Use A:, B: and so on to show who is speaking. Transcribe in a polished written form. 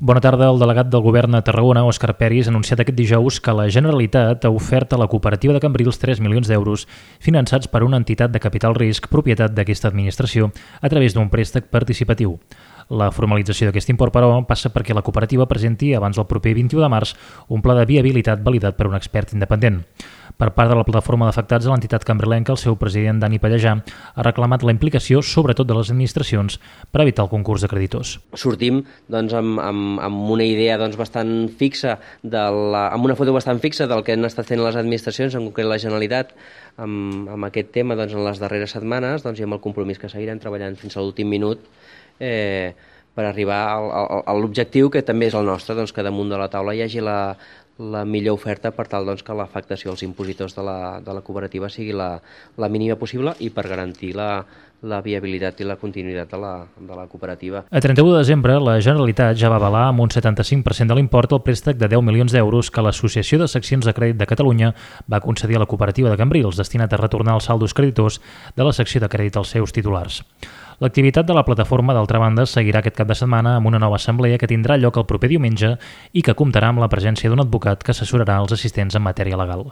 A: Bona tarda. El delegat del Govern a Tarragona, Òscar Peris, ha anunciat aquest dijous que la Generalitat ha ofert a la cooperativa de Cambrils 3 milions d'euros finançats per una entitat de capital risc propietat d'aquesta administració a través d'un préstec participatiu. La formalització d'aquest import, però, passa perquè la cooperativa presenti abans del proper 21 de març un pla de viabilitat validat per un expert independent. Per part de la plataforma d'afectats de l'entitat cambrilenca, el seu president, Dani Pallejà, ha reclamat la implicació, sobretot de les administracions, per evitar el concurs de creditors.
B: Sortim amb una idea bastant fixa, amb una foto bastant fixa del que han estat fent les administracions, en concret la Generalitat, amb aquest tema en les darreres setmanes i amb el compromís que seguirem treballant fins a l'últim minut per arribar a l'objectiu que també és el nostre, que damunt de la taula hi hagi la millor oferta per tal que l'afectació als impositors de la cooperativa sigui la mínima possible i per garantir la viabilitat i la continuïtat de la cooperativa.
A: A 31 de desembre, la Generalitat ja va avalar amb un 75% de l'import el préstec de 10 milions d'euros que l'Associació de Seccions de Crèdit de Catalunya va concedir a la cooperativa de Cambrils, destinat a retornar els saldos creditors de la secció de crèdit als seus titulars. L'activitat de la plataforma, d'altra banda, seguirà aquest cap de setmana amb una nova assemblea que tindrà lloc el proper diumenge i que comptarà amb la presència d'un advocat que assessorarà els assistents en matèria legal.